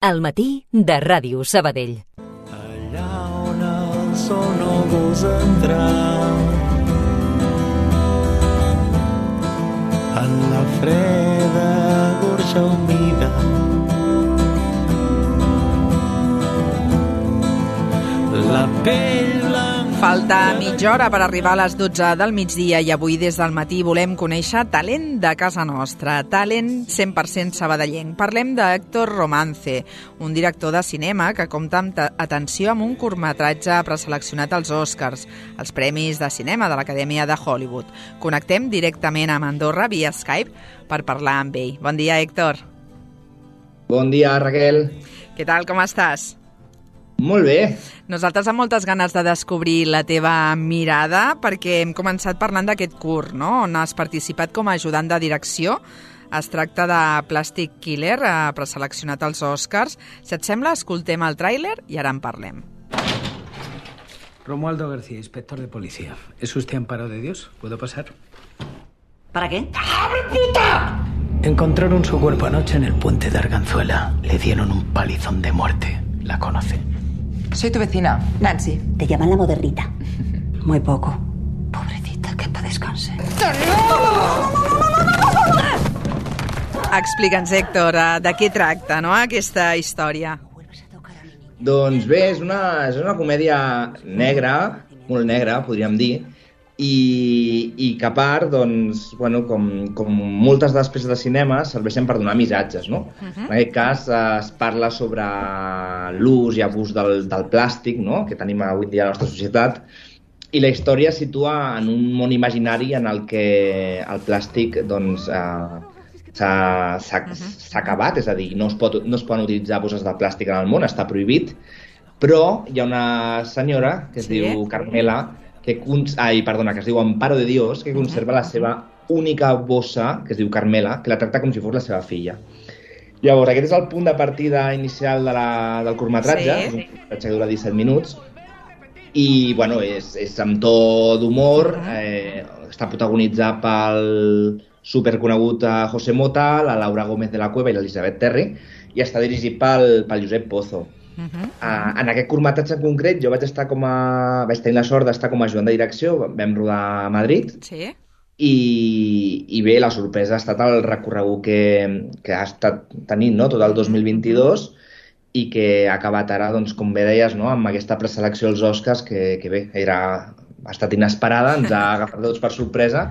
Al matí de Ràdio Sabadell. Allà on el sol no gosa entrar, en la freda gorja humida, la pell blanca. Falta mitja hora per arribar a les 12 del migdia i avui des del matí volem conèixer talent de casa nostra, talent 100% sabadellenc. Parlem d'Héctor Romance, un director de cinema que compta amb atenció amb un curtmetratge preseleccionat als Oscars, els Premis de Cinema de l'Acadèmia de Hollywood. Connectem directament amb Andorra via Skype per parlar amb ell. Bon dia, Héctor. Bon dia, Raquel. Què tal, com estàs? Molt bé. Nosaltres amb moltes ganes de descobrir la teva mirada perquè hem començat parlant d'aquest curt, no?, on has participat com a ajudant de direcció. Es tracta de Plastic Killer, preseleccionat als Oscars. Si et sembla, escoltem el tràiler i ara en parlem. Romualdo García, inspector de policía. ¿Es usted Amparo de Dios? ¿Puedo pasar? ¿Para qué? ¡Abre, puta! Encontraron su cuerpo anoche en el puente de Arganzuela. Le dieron un palizón de muerte. ¿La conoce? Soy tu vecina, Nancy. Te llaman la modernita. Muy poco. Pobrecita, que pa' descanse. Explica'ns, Héctor, de què tracta, no?, aquesta història. Doncs bé, és una comèdia negra, molt negra, podríem dir, i que a part, doncs, bueno, com moltes de les peces de cinema, serveixen per donar missatges, no? En aquest cas es parla sobre l'ús i abús del plàstic, no?, que tenim avui dia a la nostra societat, i la història es situa en un món imaginari en el que el plàstic, doncs, s'ha acabat, és a dir, no es poden utilitzar bosses de plàstic en el món, està prohibit, però hi ha una senyora que es diu Carmela, que es diu Amparo de Dios, que conserva la seva única bossa, que es diu Carmela, que la tracta com si fos la seva filla. Llavors, aquest és el punt de partida inicial del curtmetratge, és un curtmetratge que dura 17 minuts, i bueno, és amb to d'humor, està protagonitzat pel superconegut José Mota, la Laura Gómez de la Cueva i l'Elisabet Terry, i està dirigit pel Josep Pozo. En aquest curtmetratge en concret jo vaig tenir la sort d'estar com a ajudant de direcció, vam rodar a Madrid, i bé, la sorpresa ha estat el recorregut que ha estat tenint, no?, tot el 2022, i que ha acabat ara, doncs, com bé deies, no?, amb aquesta preselecció als Oscars que bé, ha estat inesperada, ens ha agafat tots per sorpresa,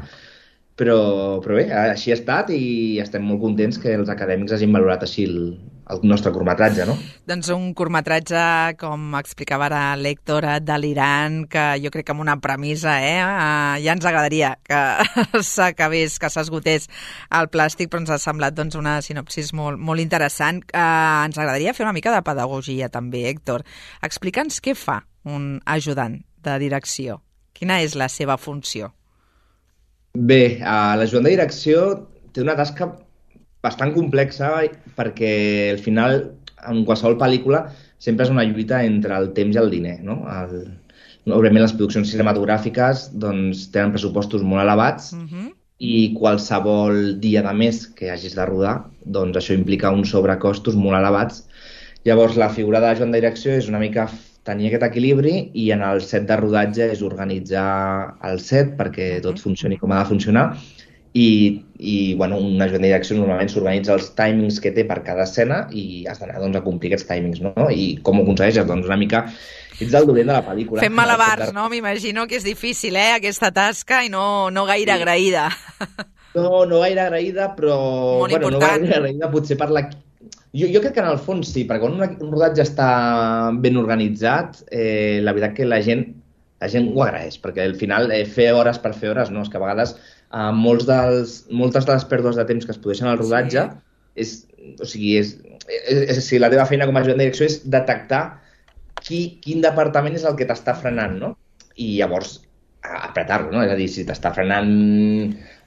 però bé, així ha estat i estem molt contents que els acadèmics hagin valorat així el nostre curtmetratge, no? Doncs un curtmetratge, com explicava ara l'Héctor, delirant, que jo crec que amb una premissa, ja ens agradaria que s'acabés, que s'esgotés el plàstic, però ens ha semblat doncs, una sinopsis molt, molt interessant. Ens agradaria fer una mica de pedagogia també, Héctor. Explica'ns què fa un ajudant de direcció. Quina és la seva funció? Bé, l'ajudant de direcció té una tasca bastant complexa perquè al final, en qualsevol pel·lícula, sempre és una lluita entre el temps i el diner, no? Òbviament les produccions cinematogràfiques doncs, tenen pressupostos molt elevats i qualsevol dia de més que hagis de rodar, doncs això implica uns sobrecostos molt elevats. Llavors la figura de l'ajudant de direcció és una mica tenir aquest equilibri i en el set de rodatge és organitzar el set perquè tot funcioni com ha de funcionar i bueno, un ajudant de direcció normalment s'organitza els timings que té per cada escena i has d'anar doncs, a complir aquests timings, no? I com ho aconsegueixes? Doncs una mica ets el dolent de la pel·lícula. Fem malabars, no? M'imagino que és difícil, aquesta tasca i no gaire agraïda. No gaire agraïda, però molt important. No gaire agraïda potser per la... Jo crec que en el fons sí, perquè quan un rodatge està ben organitzat, la veritat que la gent ho agraeix, perquè al final fer hores per fer hores, no? És que a vegades moltes de les pèrdues de temps que es produeixen al rodatge la teva feina com a ajudant de direcció és detectar quin departament és el que t'està frenant, no? I llavors apretar-lo, no? És a dir, si t'està frenant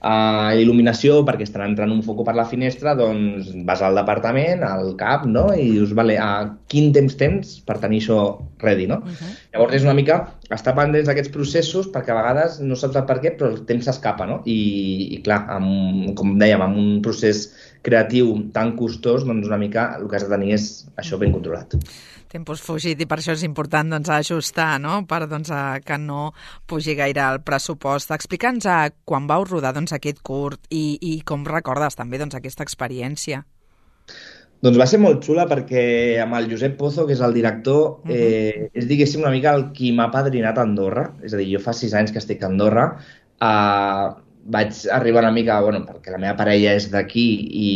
il·luminació perquè estarà entrant un foco per la finestra, doncs vas al departament, al CAP, no? I dius, vale, quin temps tens per tenir això ready, no? Llavors és una mica estar pendents d'aquests processos perquè a vegades no saps el per què, però el temps s'escapa, no? I clar, com dèiem, amb un procés creatiu tan costós, doncs una mica el que has de tenir és això ben controlat. Tempos fugit i per això és important ajustar, no? Per que no pugi gaire el pressupost. Explica'ns quan vau rodar aquest curt i com recordes també aquesta experiència. Doncs va ser molt xula perquè amb el Josep Pozo, que és el director, és diguéssim una mica el qui m'ha padrinat a Andorra. És a dir, jo fa 6 anys que estic a Andorra, vaig arribar una mica, perquè la meva parella és d'aquí i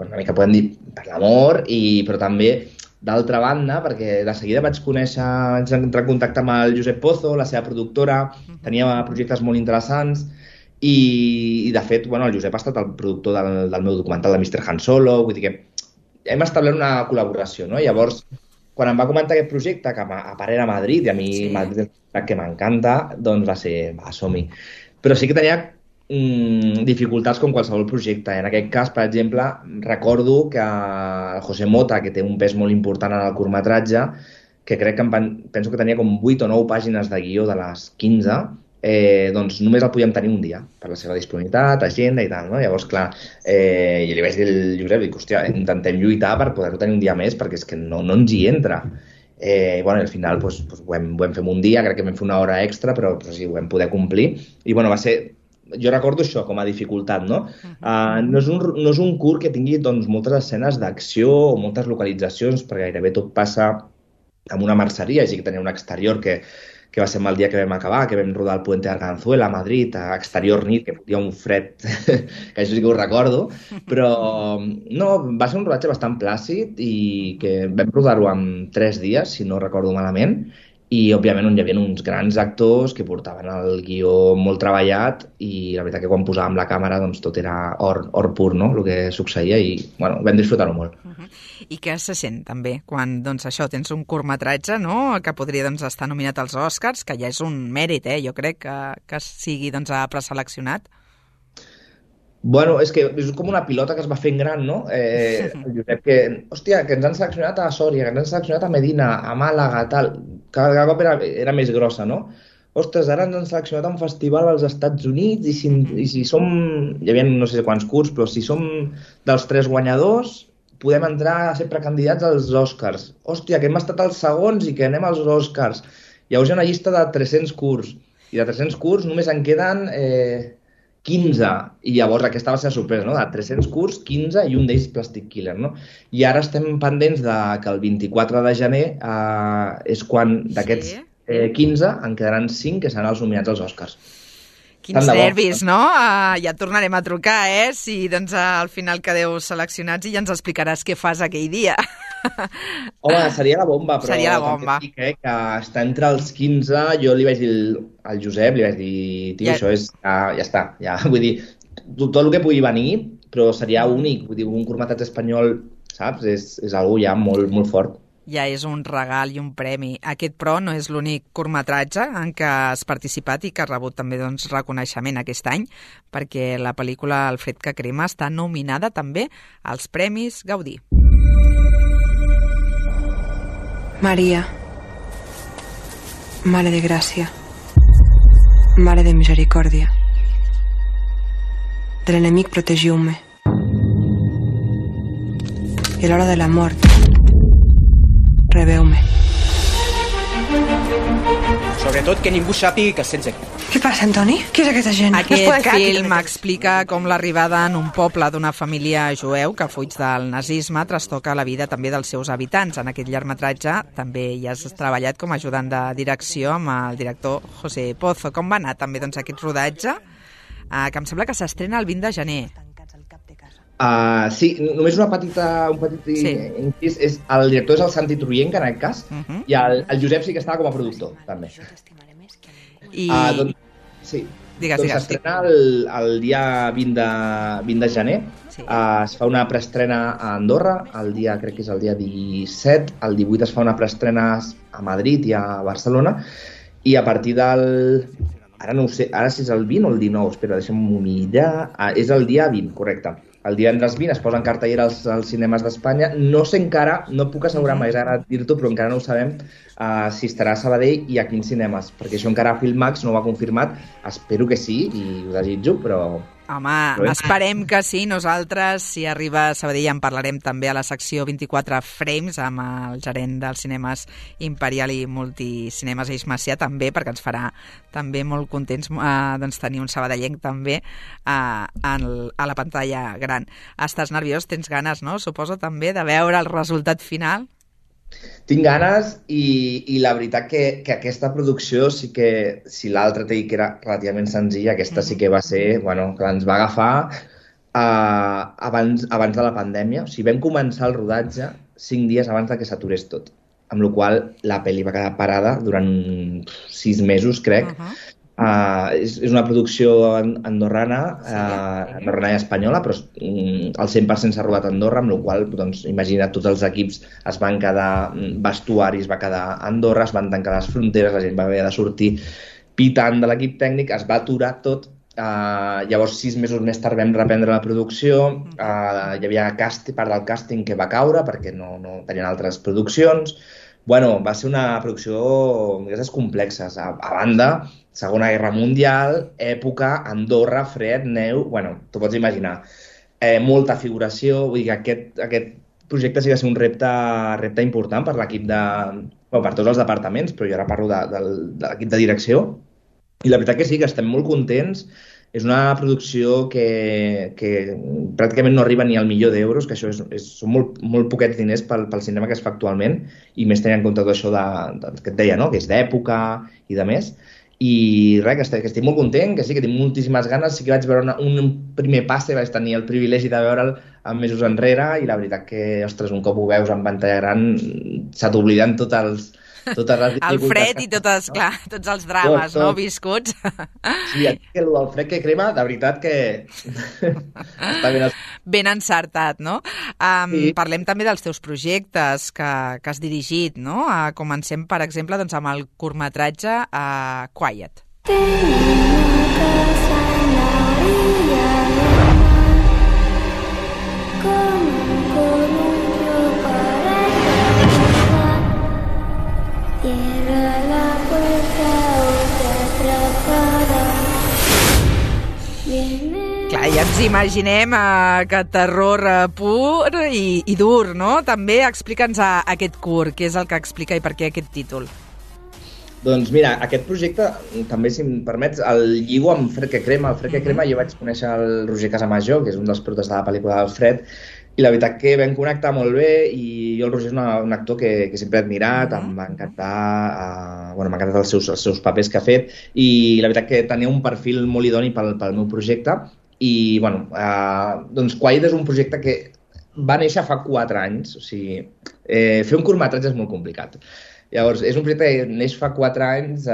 una mica podem dir per l'amor, però també d'altra banda, perquè de seguida vaig entrar en contacte amb el Josep Pozo, la seva productora, tenia projectes molt interessants i de fet, el Josep ha estat el productor del meu documental de Mr. Han Solo, vull dir que hem establert una col·laboració, no? Llavors, quan em va comentar aquest projecte, que a part era a Madrid, i a mi Madrid és una ciutat que m'encanta, doncs va ser, som-hi. Però sí que tenia dificultats com qualsevol projecte. En aquest cas, per exemple, recordo que el José Mota, que té un pes molt important en el curtmetratge, que crec que penso que tenia com 8 o 9 pàgines de guió de les 15, doncs només el podíem tenir un dia, per la seva disponibilitat, agenda i tal, no? Llavors, clar, jo li vaig dir al Josep, hòstia, intentem lluitar per poder-ho tenir un dia més, perquè és que no ens hi entra. Al final ho vam fer un dia, crec que vam fer una hora extra, però sí, ho vam poder complir. I va ser... Jo recordo això com a dificultat, no? No és un curt que tingui moltes escenes d'acció o moltes localitzacions, perquè gairebé tot passa en una merceria, així que tenia un exterior que va ser el dia que vam acabar, que vam rodar el Puente de Arganzuela a Madrid, a exterior nit, que fotia un fred, que això sí que ho recordo, però no, va ser un rodatge bastant plàcid i que vam rodar-ho en 3 dies, si no recordo malament, i òbviament on hi havia uns grans actors que portaven el guió molt treballat i la veritat que quan posàvem la càmera doncs tot era or pur, no?, el que succeïa i vam disfrutar-ho molt. I què se sent també quan això tens un curtmetratge, no?, que podria estar nominat als Oscars, que ja és un mèrit, jo crec, que sigui preseleccionat? És que és com una pilota que es va fent gran, no? El Josep que ens han seleccionat a Sòria, que ens han seleccionat a Medina, a Màlaga, tal. Cada cop era més grossa, no? Ostres, ara ens han seleccionat a un festival als Estats Units i si som, hi havia no sé quants curts, però si som dels 3 guanyadors, podem entrar a ser precandidats als Oscars. Hòstia, que hem estat els segons i que anem als Oscars. Llavors hi ha una llista de 300 curts i de 300 curts només en queden 15, i llavors aquesta va ser la sorpresa, no? De 300 curts, 15 i un d'ells Plastic Killer, no? I ara estem pendents que el 24 de gener és quan d'aquests 15 en quedaran 5 que seran els nominats als Oscars. Quins nervis, no? Ja et tornarem a trucar, si al final quedeu seleccionats i ja ens explicaràs què fas aquell dia. Home, seria la bomba, però seria la bomba. També dic que està entre els 15, jo li vaig dir al Josep, li vaig dir, tio, això és, ja està, vull dir, tot el que pugui venir, però seria únic, vull dir, un curtmetratge espanyol, saps? És algú ja molt, molt fort. Ja és un regal i un premi. Aquest, però, no és l'únic curtmetratge en què has participat i que ha rebut també reconeixement aquest any, perquè la pel·lícula El fred que crema està nominada també als Premis Gaudí. Maria, Mare de Gràcia, Mare de Misericòrdia, de l'enemic protegiu-me, i a l'hora de la mort, rebeu-me. Sobretot que ningú sàpiga que sents aquí. Què passa, Antoni? Qui és aquesta gent? Aquest film explica com l'arribada en un poble d'una família jueu que fuig del nazisme trastoca la vida també dels seus habitants. En aquest llargmetratge també hi has treballat com a ajudant de direcció amb el director José Pozo. Com va anar també aquest rodatge? Que em sembla que s'estrena el 20 de gener. Sí, només un petit incís. El director és el Santi Truyenca, en aquest cas, i el Josep sí que estava com a productor, també. Sí, doncs s'estrena el dia 20 de gener. Es fa una preestrena a Andorra, crec que és el dia 17, el 18 es fa una preestrena a Madrid i a Barcelona, i a partir del ara no ho sé, ara si és el 20 o el 19, espera, deixa'm-ho mirar. És el dia 20, correcte. El divendres 20 es posa en cartellera als cinemes d'Espanya. No sé encara, no puc assegurar, m'hagués agradat dir-t'ho, però encara no ho sabem si estarà a Sabadell i a quins cinemes, perquè això encara Filmax no ho ha confirmat. Espero que sí, i ho desitjo, però... Home, esperem que sí. Nosaltres, si arriba a Sabadell, en parlarem també a la secció 24 Frames amb el gerent dels cinemes Imperial i Multicinemes, Eix Macià, també, perquè ens farà també molt contents doncs, tenir un sabadellenc també a la pantalla gran. Estàs nerviós? Tens ganes, no? Suposo també de veure el resultat final? Tinc ganes i la veritat que aquesta producció sí que, si l'altra t'he dit que era relativament senzilla, aquesta sí que va ser, bueno, que ens va agafar abans de la pandèmia. O sigui, vam començar el rodatge 5 dies abans de que s'aturés tot, amb la qual la pel·li va quedar parada durant 6 mesos, crec. És una producció andorrana, andorrana i espanyola, però el 100% s'ha rodat a Andorra, amb la qual cosa, doncs, imagina't, tots els equips es van quedar, vestuari es va quedar a Andorra, es van tancar les fronteres, la gent va haver de sortir pitant de l'equip tècnic, es va aturar tot. Llavors 6 mesos més tard vam reprendre la producció, hi havia part del càsting que va caure perquè no tenien altres produccions. Bueno, va ser una producció d'aquestes complexes. A banda, Segona Guerra Mundial, època, Andorra, fred, neu... Bueno, t'ho pots imaginar. Molta figuració, vull dir que aquest projecte sí que va ser un repte important per l'equip per tots els departaments, però jo ara parlo de l'equip de direcció. I la veritat que sí, que estem molt contents. És una producció que pràcticament no arriba ni al €1.000.000, que això són molt poquets diners pel cinema que es fa actualment, i més tenint en compte tot això que et deia, no? Que és d'època i de més. I res, que estic molt content, que sí, que tinc moltíssimes ganes. Sí que vaig veure un primer passe, vaig tenir el privilegi de veure'l mesos enrere, i la veritat que, ostres, un cop ho veus en pantalla gran, se t'obliden totes les el fred i tots els drames, no, viscuts. Sí, el del fred que crema, de veritat que està ben encertat, no? Sí. Parlem també dels teus projectes que has dirigit, no? Comencem, per exemple, doncs, amb el curtmetratge Quiet. Clar, ja ens imaginem que terror pur i dur, no? També explica'ns aquest curt, què és el que explica i per què aquest títol. Doncs mira, aquest projecte, també, si em permets, el lligo amb Fred que crema. El Fred que crema, jo vaig conèixer el Roger Casamajor, que és un dels protagonistes de la pel·lícula del Fred, i la veritat que vam connectar molt bé, i jo el Roger és un actor que sempre he admirat, em va encantar, m'ha encantat els seus papers que ha fet, i la veritat que tenia un perfil molt idoni pel meu projecte. I, doncs Quiet és un projecte que va néixer fa 4 anys, o sigui, fer un curtmetratge és molt complicat. Llavors, és un projecte que neix fa 4 anys,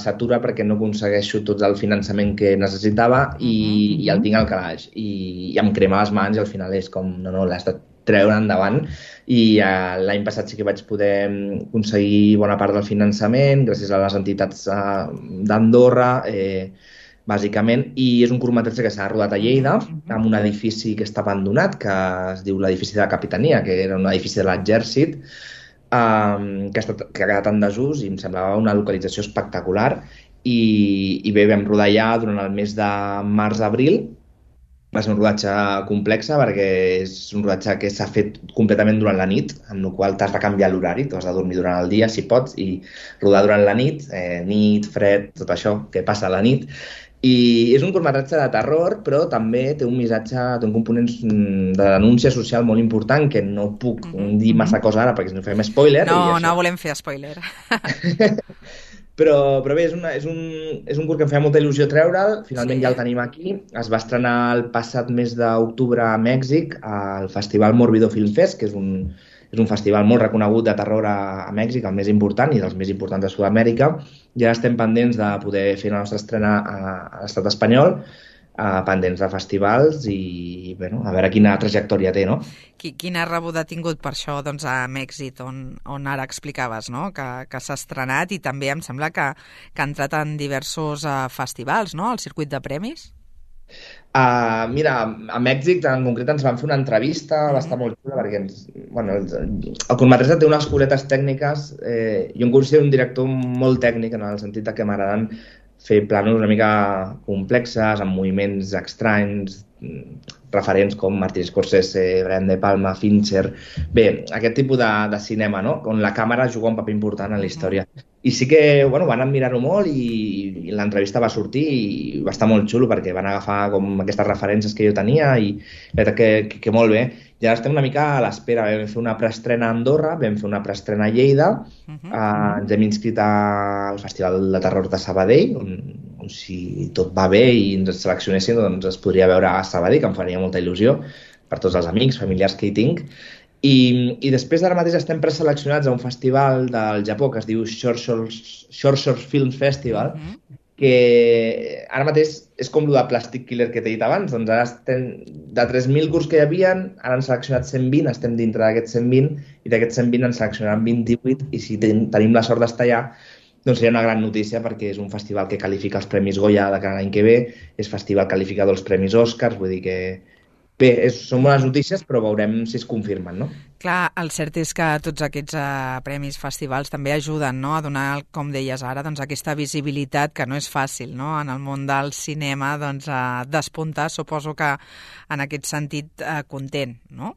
s'atura perquè no aconsegueixo tot el finançament que necessitava i el tinc al calaix. I em crema les mans i al final és com, no, l'has de treure endavant. I l'any passat sí que vaig poder aconseguir bona part del finançament gràcies a les entitats d'Andorra, bàsicament, i és un curtmetratge que s'ha rodat a Lleida, amb un edifici que està abandonat, que es diu l'edifici de la Capitania, que era un edifici de l'exèrcit, que ha quedat en desús, i em semblava una localització espectacular. I bé, vam rodar ja durant el mes de març-abril. Va ser un rodatge complex perquè és un rodatge que s'ha fet completament durant la nit, amb la qual t'has de canviar l'horari, t'has de dormir durant el dia, si pots, i rodar durant la nit, nit, fred, tot això que passa a la nit. I és un curtmetratge de terror, però també té un missatge, té un component de denúncia social molt important, que no puc dir massa cosa ara perquè si no fem spoiler. No volem fer spoiler. Però bé, és un curt que em feia molta il·lusió treure'l, finalment ja el tenim aquí. Es va estrenar el passat mes d'octubre a Mèxic, al Festival Mórbido Film Fest, que és un festival molt reconegut de terror a Mèxic, el més important i dels més importants de Sud-amèrica. I ara estem pendents de poder fer la nostra estrena a l'estat espanyol. pendents de festivals i, bueno, a veure quina trajectòria té, no? Quina rebuda ha tingut per això doncs, amb èxit, on ara explicaves, no? Que s'ha estrenat i també em sembla que ha entrat en diversos festivals, no?, al circuit de premis? Mira, a Mèxic en concret ens van fer una entrevista, va estar molt xula perquè el curtmetratge té unes curetes tècniques. Jo em considero un director molt tècnic en el sentit que m'agraden fer plànols una mica complexes, amb moviments estranys, referents com Martin Scorsese, Brian De Palma, Fincher. Bé, aquest tipus de cinema, no?, on la càmera juga un paper important en la història. I sí que, bueno, van admirar-ho molt i l'entrevista va sortir i va estar molt xulo perquè van agafar com aquestes referències que jo tenia i la veritat que molt bé. I ara estem una mica a l'espera. Vam fer una preestrena a Andorra, vam fer una preestrena a Lleida, ens hem inscrit al Festival de Terror de Sabadell, on si tot va bé i ens seleccionessin, doncs es podria veure a Sabadell, que em faria molta il·lusió per tots els amics, familiars que hi tinc. I després d'ara mateix estem preseleccionats a un festival del Japó que es diu Short Short Film Festival, que ara mateix és com el de Plastic Killer que t'he dit abans. Doncs ara estem, de 3.000 curts que hi havia, ara han seleccionat 120, estem dintre d'aquests 120, i d'aquests 120 en seleccionaran 28, i si tenim la sort d'estar allà, doncs seria una gran notícia perquè és un festival que qualifica els Premis Goya de cada any que ve, és festival qualificador dels Premis Oscars, vull dir que bé, són bones notícies, però veurem si es confirmen, no? Clar, el cert és que tots aquests premis, festivals, també ajuden, no?, a donar, com deies ara, doncs, aquesta visibilitat que no és fàcil, no?, en el món del cinema, doncs, despuntar, suposo que en aquest sentit content, no?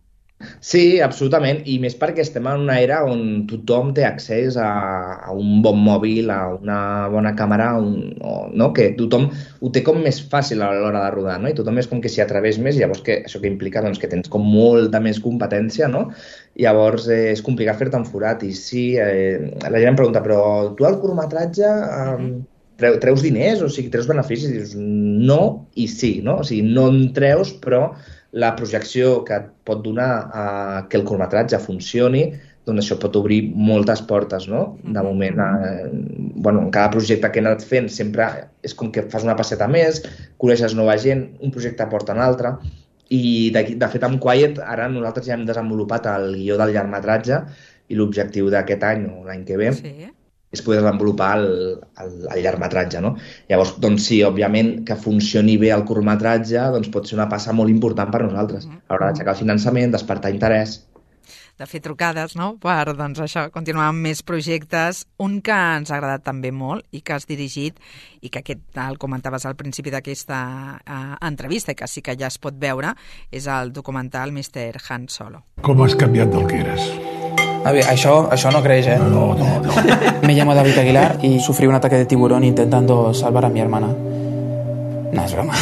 Sí, absolutament, i més perquè estem en una era on tothom té accés a un bon mòbil, a una bona càmera, no? Que tothom ho té com més fàcil a l'hora de rodar, no? I tothom és com que s'hi atreveix més, i llavors això que implica doncs, que tens com molta més competència, no? I llavors és complicat fer-te un forat, i sí, la gent em pregunta, però tu al curtmetratge treus diners, o sigui, treus beneficis? I dius, no i sí, no? O sigui, no en treus, però la projecció que et pot donar que el curtmetratge funcioni, doncs això pot obrir moltes portes, no? De moment, bueno, en cada projecte que he anat fent sempre és com que fas una passeta més, coneixes nova gent, un projecte porta un altre, i de fet amb Quiet ara nosaltres ja hem desenvolupat el guió del llargmetratge i l'objectiu d'aquest any o l'any que ve és poder desenvolupar el llargmetratge, no? Llavors, doncs sí, òbviament, que funcioni bé el curtmetratge doncs pot ser una passa molt important per nosaltres. A l'hora d'aixecar el finançament, despertar interès. De fer trucades, no?, per, doncs, això, continuar amb més projectes. Un que ens ha agradat també molt i que has dirigit i que aquest el comentaves al principi d'aquesta entrevista i que sí que ja es pot veure, és el documental Mr. Han Solo. Com has canviat del que eres? A ver, això no creix, ¿eh? No. Me llamo David Aguilar y sufrí un ataque de tiburón intentando salvar a mi hermana. No, es broma.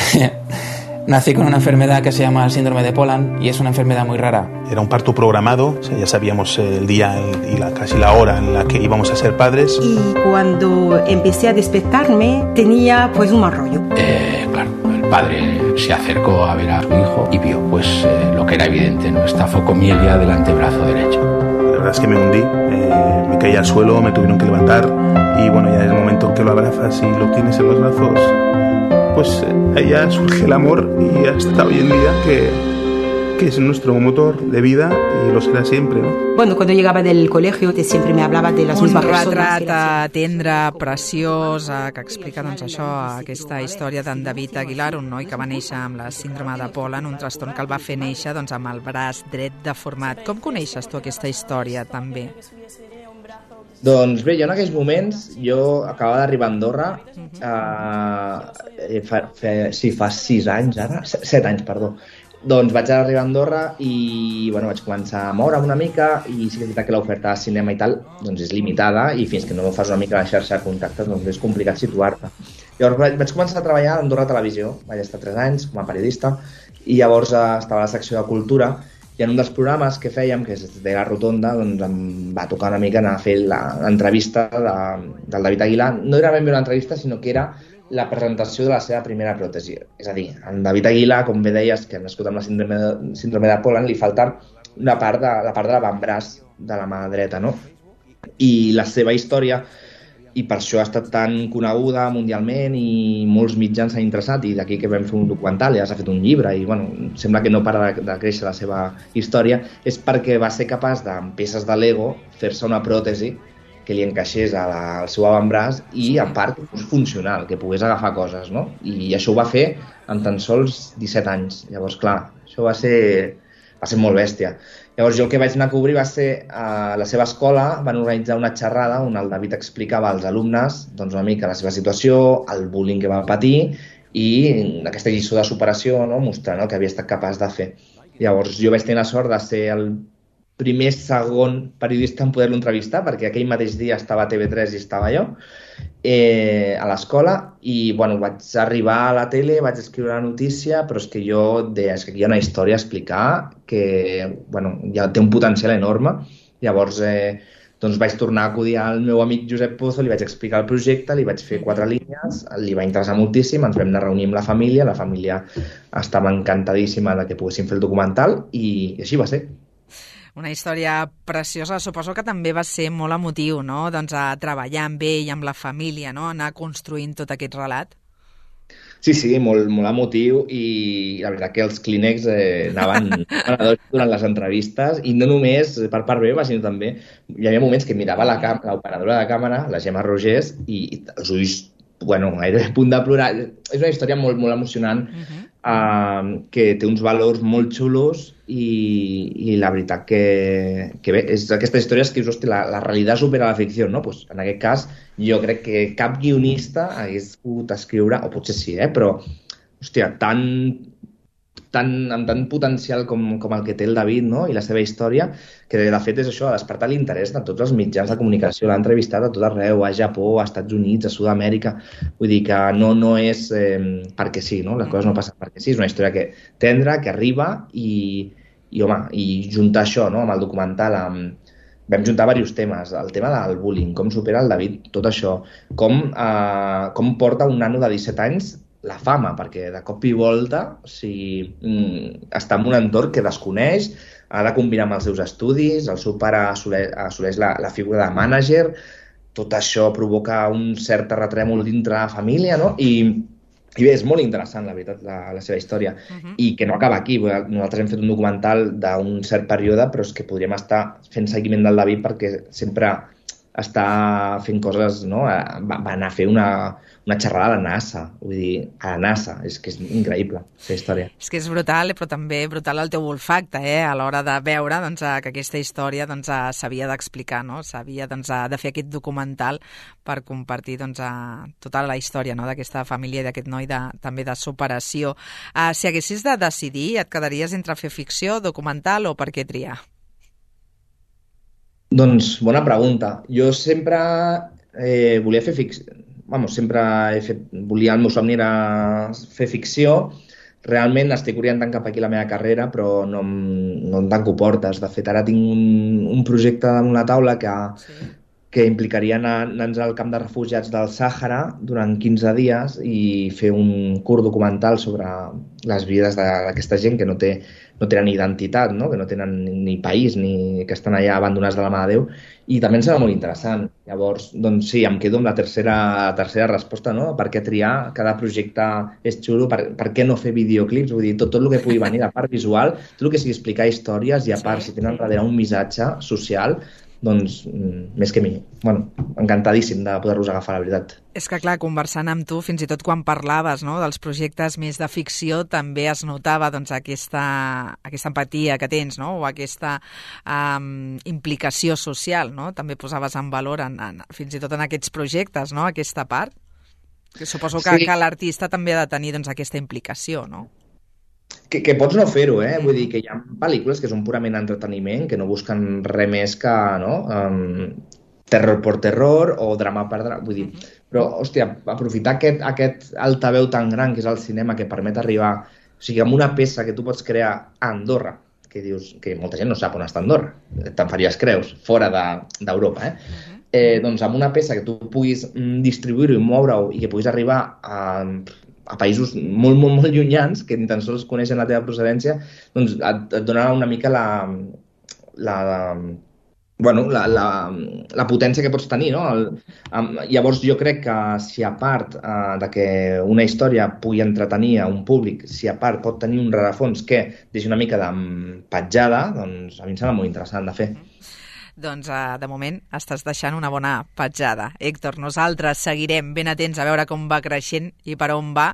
Nací con una enfermedad que se llama el síndrome de Poland y es una enfermedad muy rara. Era un parto programado, o sea, ya sabíamos el día y casi la hora en la que íbamos a ser padres. Y cuando empecé a despertarme tenía pues un mal rollo. Claro, el padre se acercó a ver a su hijo y vio pues lo que era evidente, ¿no? Esta focomielgia del antebrazo derecho. La verdad es que me hundí, me caí al suelo, me tuvieron que levantar y bueno, ya en el momento en que lo abrazas y lo tienes en los brazos, pues ahí ya surge el amor y hasta hoy en día que es nuestro motor de vida y lo será siempre, ¿no? Bueno, cuando llegaba del colegio siempre me hablaba de las mismas personas. Un retrat tendre, preciós, que explica doncs, això, aquesta història d'en David Aguilar, un noi que va néixer amb la síndrome de Poland, un trastorn que el va fer néixer doncs, amb el braç dret deformat. Com coneixes tu aquesta història també? Doncs bé, jo en aquells moments, jo acabava d'arribar a Andorra, fa 6 anys ara, 7 anys, perdó. Doncs vaig arribar a Andorra i bueno, vaig començar a moure'm una mica i sí que és veritat que l'oferta de cinema i tal doncs és limitada i fins que no fas una mica la xarxa de contactes doncs és complicat situar-te. Llavors vaig començar a treballar a Andorra Televisió, vaig estar 3 anys com a periodista i llavors estava a la secció de cultura i en un dels programes que fèiem, que és de la Rotonda, doncs em va tocar una mica anar a fer l'entrevista del David Aguilar. No era ben bé una entrevista, sinó que era la presentació de la seva primera pròtesi. És a dir, en David Aguilar, com bé deies, que ha nascut amb la síndrome de Poland, li falta la part de l'avantbraç de la mà dreta, no? I la seva història i per això ha estat tan coneguda mundialment i molts mitjans s'han interessat, i d'aquí que vam fer un documental i ja s'ha fet un llibre i bueno, sembla que no para de créixer la seva història, és perquè va ser capaç de, amb peces de Lego, fer-se una pròtesi que li encaixés al seu avantbraç i a part que fos funcional, que pogués agafar coses, no? I això ho va fer en tan sols 17 anys. Llavors, clar, això va ser molt bèstia. Llavors jo el que vaig anar a cobrir va ser a la seva escola, van organitzar una xerrada on el David explicava als alumnes doncs, una mica la seva situació, el bullying que va patir i aquesta lliçó de superació, no? Mostrant el que havia estat capaç de fer. Llavors jo vaig tenir la sort de ser el segon periodista en poder-lo entrevistar, perquè aquell mateix dia estava a TV3 i estava jo a l'escola, i bueno, vaig arribar a la tele, vaig escriure la notícia, però és que jo deia que aquí hi ha una història a explicar que bueno, ja té un potencial enorme. Llavors doncs vaig tornar a acudir al meu amic Josep Pozo, li vaig explicar el projecte, li vaig fer 4 línies, li va interessar moltíssim, ens vam anar a reunir amb la família estava encantadíssima de que poguéssim fer el documental i així va ser. Una història preciosa, suposo que també va ser molt emotiu, no? Doncs a treballar amb ell i amb la família, no? Anar construint tot aquest relat. Sí, molt emotiu, i la veritat que els clínex anaven durant les entrevistes, i no només per part meva, sinó també hi havia moments que mirava l'operadora de càmera, la Gemma Rogers, i els ulls, bueno, gairebé a punt de plorar. És una història molt emocionant, que té uns valors molt xulos, i la veritat que bé, és aquestes històries que dius, hòstia, la realitat supera la ficció, no? Pues, en aquest cas, jo crec que cap guionista hagués pogut escriure, o potser sí, però, hòstia, amb tant potencial com el que té el David, no? I la seva història, que de fet és això, ha despertat l'interès de tots els mitjans de comunicació, l'ha entrevistat a tot arreu, a Japó, a Estats Units, a Sud-amèrica, vull dir que no és perquè sí, no? Les coses no passen perquè sí, és una història que tendra, que arriba, i juntar això, no? Amb el documental, vam juntar diversos temes, el tema del bullying, com supera el David tot això, com porta un nano de 17 anys la fama, perquè de cop i volta està en un entorn que desconeix, ha de combinar amb els seus estudis, el seu pare assoleix la figura de mànager, tot això provoca un cert terratrèmol dintre la família, no? I bé, és molt interessant, la veritat, la seva història. I que no acaba aquí. Nosaltres hem fet un documental d'un cert període, però és que podríem estar fent seguiment del David perquè sempre està fent coses, no? Va anar a fer una xerrada a la NASA, vull dir, a la NASA, és que és increïble, aquesta història. És que és brutal, però també brutal el teu olfacte, a l'hora de veure que aquesta història s'havia d'explicar, no? S'havia de fer aquest documental per compartir tota la història d'aquesta família i d'aquest noi també de superació. Si haguessis de decidir, et quedaries entre fer ficció, documental o per què triar? Doncs, bona pregunta. Jo sempre volia fer ficció. El meu somni era fer ficció. Realment estic orientant cap aquí la meva carrera, però no em tanco portes. De fet, ara tinc un projecte damunt la taula que implicaria anar-nos al camp de refugiats del Sàhara durant 15 dies i fer un curt documental sobre les vides d'aquesta gent que no tenen identitat, no? Que no tenen ni país, ni que estan allà abandonats de la mà de Déu, i també em sembla molt interessant. Llavors, doncs sí, em quedo amb la tercera resposta, no? Per què triar? Cada projecte és xulo, per què no fer videoclips? Vull dir, tot el que pugui venir de part visual, tot el que sigui explicar històries, i a part, si tenen darrere un missatge social, doncs més que millor. Bueno, encantadíssim de poder-los agafar, la veritat. És que, clar, conversant amb tu, fins i tot quan parlaves dels projectes més de ficció, també es notava aquesta empatia que tens, no? O aquesta implicació social, no? També posaves en valor fins i tot en aquests projectes, no? Aquesta part. Que suposo que l'artista també ha de tenir aquesta implicació, no? Que pots no fer-ho, Vull dir que hi ha pel·lícules que són purament entreteniment, que no busquen res més que, terror per terror o drama per drama, vull dir. Però, hòstia, aprofitar aquest altaveu tan gran que és el cinema, que permet arribar, o sigui, amb una peça que tu pots crear a Andorra, que dius que molta gent no sap on està Andorra, te'n faries creus, fora d'Europa, doncs amb una peça que tu puguis distribuir-ho i moure-ho i que puguis arribar a països molt, molt, molt llunyans, que ni tan sols coneixen la teva procedència, doncs et donarà una mica bueno, la potència que pots tenir, no? Llavors jo crec que si a part de que una història pugui entretenir a un públic, si a part pot tenir un rerefons que deixi una mica d'empatjada, doncs a mi em sembla molt interessant de fer. Doncs de moment estàs deixant una bona petjada. Héctor, nosaltres seguirem ben atents a veure com va creixent i per on va,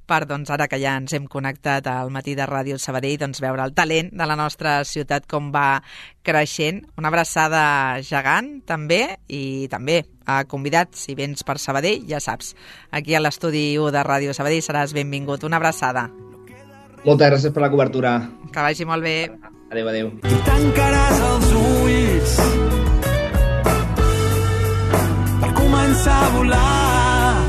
per doncs ara que ja ens hem connectat al matí de Ràdio Sabadell, doncs veure el talent de la nostra ciutat com va creixent. Una abraçada gegant també, i també convidats, si vens per Sabadell, ja saps, aquí a l'estudi 1 de Ràdio Sabadell seràs benvingut. Una abraçada. Moltes gràcies per la cobertura. Que vagi molt bé. Adéu, adéu. I tancaràs els ulls per començar a volar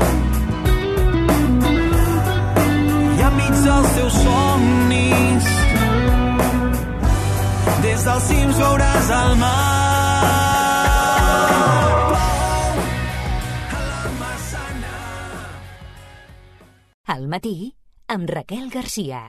i enmig dels teus somnis des dels cims veuràs el mar. Al matí amb Raquel Garcia.